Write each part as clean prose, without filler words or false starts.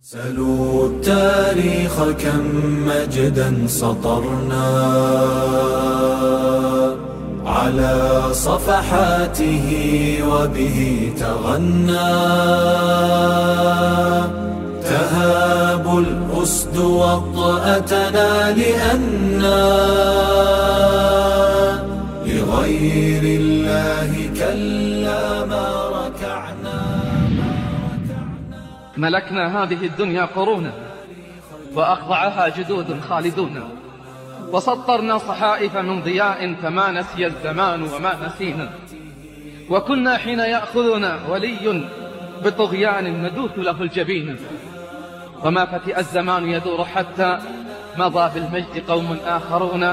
سلوا التاريخ كم مجدا سطرنا على صفحاته وبه تغنى تهاب الأسد وطأتنا لأنا لغير الله كلا ما ركعنا. ملكنا هذه الدنيا قرونا وأخضعها جدود خالدون، وسطرنا صحائف من ضياء فما نسي الزمان وما نسينا، وكنا حين يأخذنا ولي بطغيان ندوث له الجبين، وما فتئ الزمان يدور حتى مضى بالمجد قوم آخرون،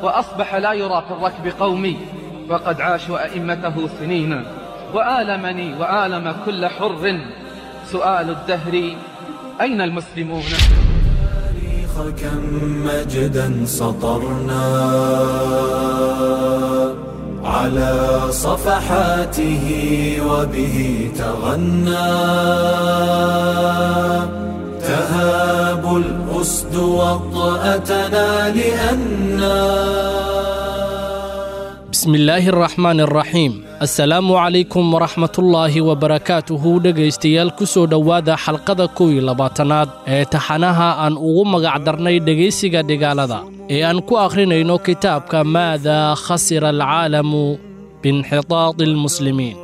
وأصبح لا يرى في الركب قومي وقد عاشوا أئمته سنين. وآلمني وآلم كل حر سؤال الدهر أين المسلمون؟ كم مجدا سطرنا على صفحاته وبه تغنى تهاب الأسد وطأتنا لأننا. بسم الله الرحمن الرحيم. Assalaamu calaykum waraxmatullaahi wabarakaatuhu. Dhegaystayaal, ku soo dhowaada xalqada 21aad ee taxanaha aan ugu magacdarnay dhegaysiga dhigaalada ee aan ku akhrinayno kitaabka Maadaa khasira alcaalamu biinxitaadi almuslimiin.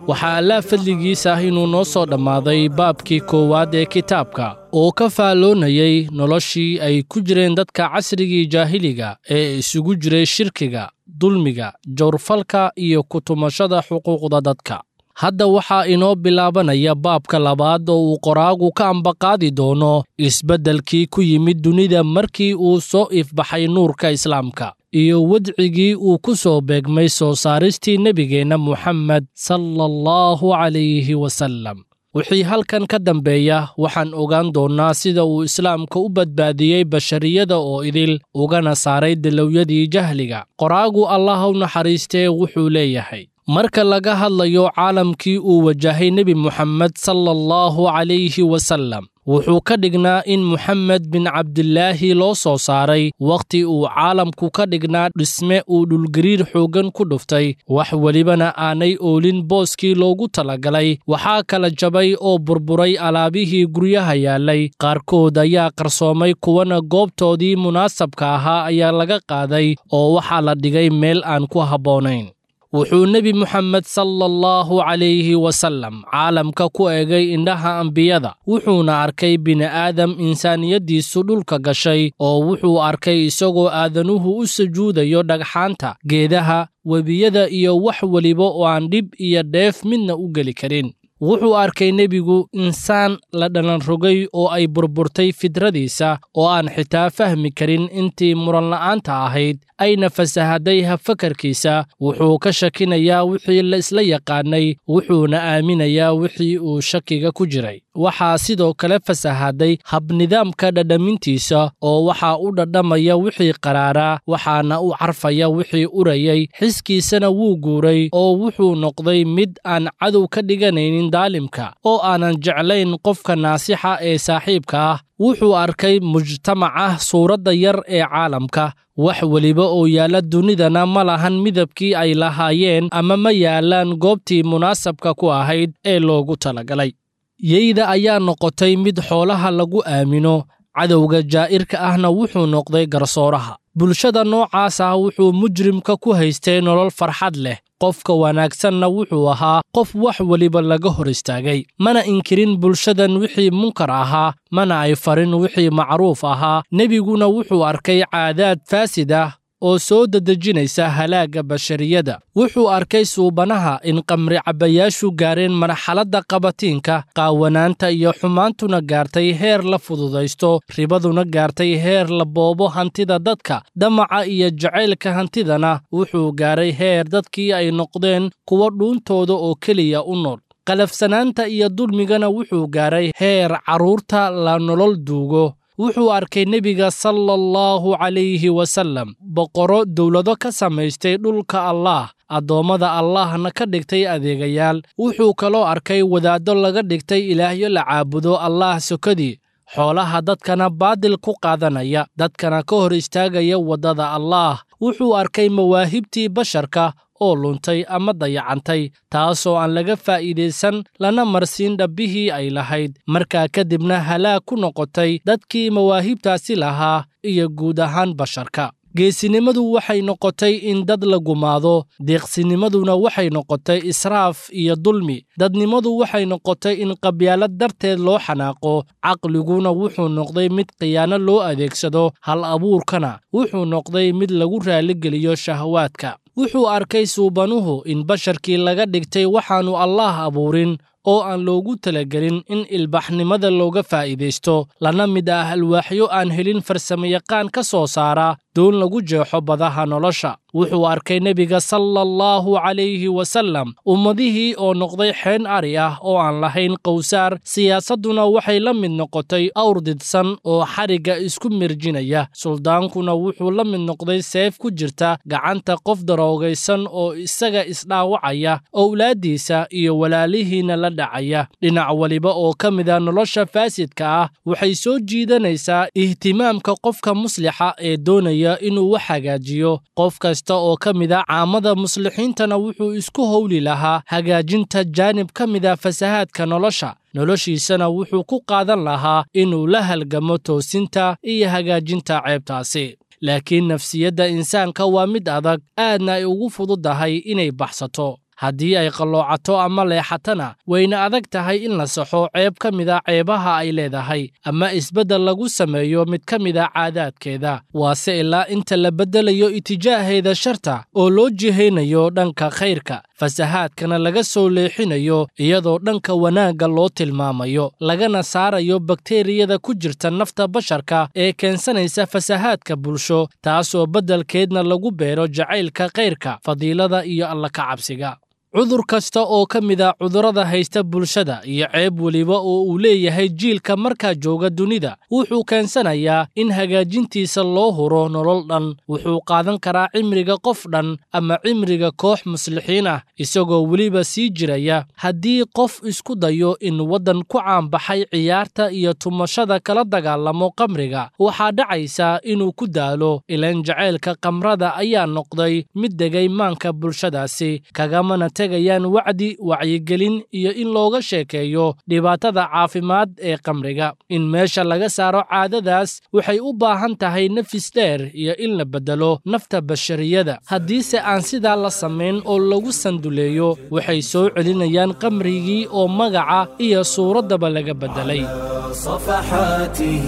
Waxaa Allaa fadligiisa ah inuu noo soo dhammaaday baabkii koowaad ee kitaabka oo ka faalloonayay noloshii ay ku jireen dadka casrigii jaahiliga ee isugu jiray shirkiga, dulmiga, jawrfalka iyo ku tumashada xuquuqda dadka. Hadda waxaa inoo bilaabanaya baabka labaad oo uu qoraagu ka ambaqaadi doono isbeddelkii ku yimid dunida markii uu soo ifbaxay nuurka islaamka iyo wadcigii uu ku soo beegmay soo saaristii nebigeenna Muxamed sala allahu calayhi wasallam. Wixii halkan ka dambeeya waxaan ogaan doonnaa sida uu islaamka u badbaadiyey bashariyada oo idil ugana saaray dalowyadii jahliga. Qoraagu Allah u naxariistee wuxuu leeyahay: marka laga hadlayo caalamkii uu wajahay Nebi Muxamed sala allahu calayhi wasallam, wuxuu ka dhignaa in Muxamed bin Cabdilaahi loo soo saaray wakhti uu caalamku ka dhignaa dhisme uu dhulgariir xooggan ku dhuftay, wax welibana aanay oolin booskii loogu talagalay. Waxaa kala jabay oo burburay alaabihii guryaha yaallay, qaarkood ayaa qarsoomay, kuwana goobtoodii munaasabka ahaa ayaa laga qaaday oo waxaa la dhigay meel aan ku habboonayn. Wuxuu Nebi Muxamed sala allahu calayhi wasallam caalamka ku eegay indhaha ambiyada, wuxuuna arkay bini'aadam insaaniyaddiisu dhulka gashay, oo wuxuu arkay isagoo aadanuhu u sujuudayo dhagxaanta, geedaha, webiyada iyo wax weliba oo aan dhib iyo dheef midna u geli karin. Wuxuu arkay nebigu insaan la dhalan rogay oo ay burburtay fidradiisa oo aan xitaa fahmi karin intii muranla'aanta ahayd, ayna fasahaday habfakarkiisa. Wuxuu ka shakinayaa wixii la isla yaqaanay, wuxuuna aaminayaa wixii uu shakiga ku jiray. Waxaa sidoo kale fasahaday habnidaamka dhadhamintiisa, oo waxaa u dhadhamaya wixii qaraaraa, waxaana u carfaya wixii urayay. Xiskiisana wuu guuray oo wuxuu noqday mid aan cadow ka dhiganaynin daalimka, oo aanan jeclayn qofka naasixa ee saaxiibka ah. Wuxuu arkay mujtamaca suuradda yar ee caalamka, wax weliba oo yaalla dunidana ma lahan midabkii ay lahaayeen ama ma yaallaan goobtii munaasabka ku ahayd ee loogu talagalay. Yeyda ayaa noqotay mid xoolaha lagu aamino, cadowga jaa'irka ahna wuxuu noqday garsooraha. Bulshada noocaas ah wuxuu mujrimka ku haystay nolol farxad leh, qofka wanaagsanna wuxuu ahaa qof wax weliba laga hor istaagay. Mana inkirin bulshadan wixii munkar ahaa, mana ay farin wixii macruuf ahaa. Nebiguna wuxuu arkay caadaad faasid ah oo soo dedejinaysa halaagga bashariyada. Wuxuu arkay suubanaha in qamri cabbayaashu gaareen marxaladda qabatiinka, qaawanaanta iyo xumaantuna gaartay heer la fududaysto, ribaduna gaartay heer la boobo hantida dadka, damaca iyo jacaylka hantidana wuxuu gaaray heer dadkii ay noqdeen kuwa dhuuntooda oo keliya u nool. Qalafsanaanta iyo dulmigana wuxuu gaaray heer carruurta la nolol duugo. Wuxuu arkay nebiga sala allahu calayhi wasallam boqorro dowlado ka samaystay dhulka Allaah, addoommada Allahna ka dhigtay adeegayaal. Wuxuu kaloo arkay wadaaddo laga dhigtay ilaahyo la caabudo Allaah sokadii, xoolaha dadkana baadil ku qaadanaya, dadkana ka hor istaagaya waddada Allaah. Wuxuu arkay mawaahibtii basharka oo luntay ama dayacantay, taasoo aan laga faa'iidaysan lana marsiin dhabbihii ay lahayd, markaa kadibna halaag ku noqotay dadkii mawaahibtaasi lahaa iyo guud ahaan basharka. Geesinimadu waxay noqotay in dad la gumaado, deeqsinimaduna waxay noqotay israaf iyo dulmi, dadnimadu waxay noqotay in qabyaalad darteed loo xanaaqo, caqliguna wuxuu noqday mid khiyaano loo adeegsado, hal abuurkana wuxuu noqday mid lagu raaligeliyo shahawaadka. Wuxuu arkay suubanuhu in basharkii laga dhigtay waxaannu Allaah abuurin oo aan loogu talagelin in ilbaxnimada looga faa'iidaysto, lana mid ah alwaaxyo aan helin farsamayaqaan ka soo saara doon lagu jeexo badaha nolosha. Wuxuu arkay nebiga sala allahu calayhi wasallam ummadihii oo noqday xeen ari ah oo aan lahayn qowsaar, siyaasadduna waxay la mid noqotay awr didsan oo xarigga isku mirjinaya, suldaankuna wuxuu la mid noqday seef ku jirta gacanta qof daroogaysan oo isaga isdhaawacaya, owlaaddiisa iyo walaalihiina la dhacaya. Dhinac waliba oo ka mida nolosha faasidka ah waxay soo jiidanaysaa ihtimaamka qofka muslixa ee doonaya inuu wax hagaajiyo. Qof kasta oo ka mida caamada muslixiintana wuxuu isku howli lahaa hagaajinta jaanib ka mida fasahaadka nolosha, noloshiisana wuxuu ku qaadan lahaa inuu la halgamo toosinta iyo hagaajinta ceebtaasi. Laakiin nafsiyadda insaanka waa mid adag, aadna ay ugu fududahay inay baxsato. Haddii ay qalloocato ama leexatana, wayna adag tahay in la saxo ceeb ka mida ceebaha ay leedahay ama isbeddel lagu sameeyo mid ka mida caadaadkeeda. Waase ilaa inta la beddelayo itijaaheeda sharta oo loo jihaynayo dhanka khayrka, fasahaadkana laga soo leexinayo iyadoo dhanka wanaagga loo tilmaamayo, lagana saarayo bakteeriyada ku jirta nafta basharka ee keensanaysa fasahaadka bulsho, taasoo beddelkeedna lagu beero jacaylka khayrka, fadiilada iyo alla ka cabsiga. Cudur kasta oo ka mid a cudurrada haysta bulshada iyo ceeb weliba oo uu leeyahay jiilka markaa jooga dunida wuxuu keensanayaa in hagaajintiisa loo huro nolol dhan. Wuxuu qaadan karaa cimriga qof dhan ama cimriga koox muslixiin ah, isagoo weliba sii jiraya. Haddii qof isku dayo in waddan ku caanbaxay ciyaarta iyo tumashada kala dagaalamo qamriga, waxaa dhacaysa inuu ku daalo, ilaan jacaylka qamrada ayaa noqday mid degay maanka bulshadaasi, kagamana tegayaan wacdi, wacyigelin iyo in looga sheekeeyo dhibaatada caafimaad ee qamriga. In meesha laga saaro caadadaas waxay u baahan tahay nafis dheer iyo in la beddelo nafta bashariyada. Haddiise aan sidaa la samayn oo lagu sanduleeyo, waxay soo celinayaan qamrigii oo magaca iyo suuraddaba laga beddelay. صفحاته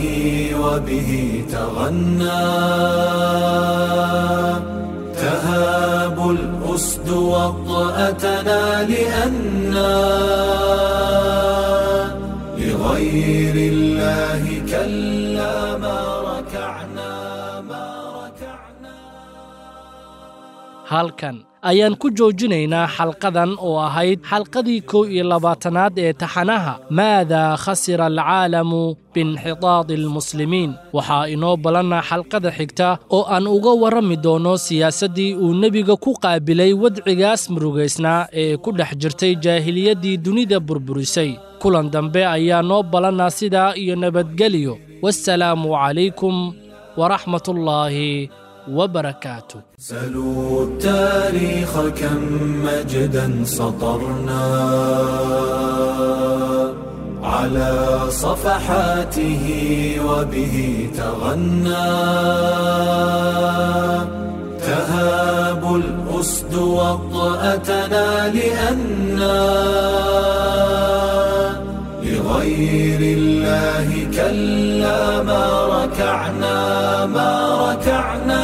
وبه تغنى تهاب الأسد وطأتنا لأنا لغير الله كلا ما ركعنا ما ركعنا. Halkan ayaan ku joojinaynaa xalqadan oo ahayd xalqadii 21aad ee taxanaha Maadaa khasira alcaalamu biinxitaadi almuslimiin. Waxaa inoo ballanna xalqada xigta oo aan uga warrami doono siyaasaddii uu nebiga ku qaabilay wadcigaas murugaysnaa ee ku dhex jirtay jaahiliyaddii dunida burburisay. Kulan dambe ayaa noo ballanna, sidaa iyo nabadgelyo. Wassalaamu calaykum waraxmatullaahi وبركاته. سلوا التاريخ كم مجدا سطرنا على صفحاته وبه تغنى تهاب الأسد وطأتنا لأنا لغير الله كلا ما ركعنا ما ركعنا.